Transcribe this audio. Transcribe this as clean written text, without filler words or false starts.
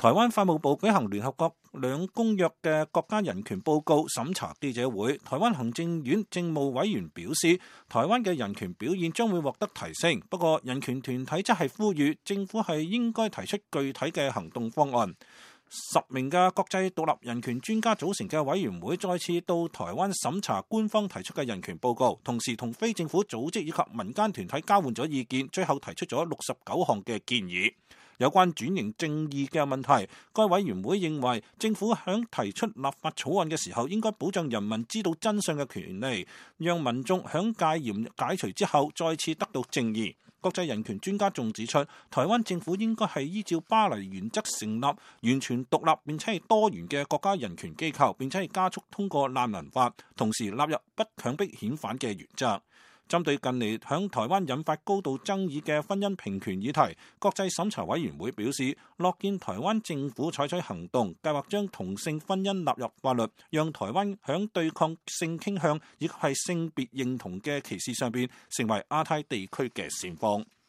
台灣法務部舉行聯合國兩公約嘅國家人權報告審查記者會，台灣行政院政務委員表示，台灣嘅人權表現將會獲得提升。不過，人權團體則係呼籲政府係應該提出具體嘅行動方案。10名嘅國際獨立人權專家組成嘅委員會再次到台灣審查官方提出嘅人權報告，同時同非政府組織以及民間團體交換咗意見，最後提出咗69項嘅建議。有關轉型正義嘅問題，該委員會認為政府響提出立法草案嘅時候，應該保障人民知道真相嘅權利，讓民眾響戒嚴解除之後再次得到正義。國際人權專家仲指出，台灣政府應該係依照巴黎原則成立完全獨立並且係多元嘅國家人權機構，並且係加速通過難民法，同時納入不強迫遣返嘅原則。針對近嚟響台灣引發高度爭議嘅婚姻平權議題，國際審查委員會表示，樂見台灣政府採取行動，計劃將同性婚姻納入法律，讓台灣響對抗性傾向以及係性別認同嘅歧視上邊，成為亞太地區嘅先鋒。